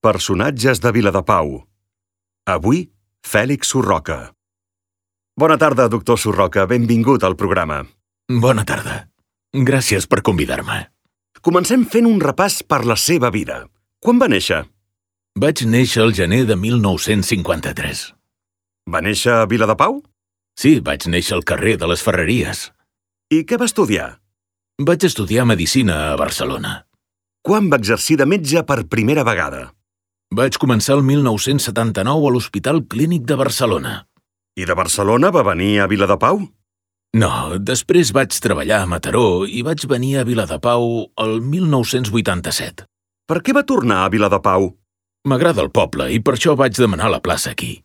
Personatges de Viladepau. Avui, Fèlix Surroca. Bona tarda, doctor Surroca. Benvingut al programa. Bona tarda. Gràcies per convidar-me. Comencem fent un repàs per la seva vida. Quan va néixer? Vaig néixer el gener de 1953. Va néixer a Viladepau? Sí, vaig néixer al carrer de les Ferreries. I què va estudiar? Vaig estudiar medicina a Barcelona. Quan va exercir de metge per primera vegada? Vaig començar el 1979 a l'Hospital Clínic de Barcelona. I de Barcelona va venir a Viladepau? No, després vaig treballar a Mataró i vaig venir a Viladepau el 1987. Per què va tornar a Viladepau? M'agrada el poble i per això vaig demanar la plaça aquí.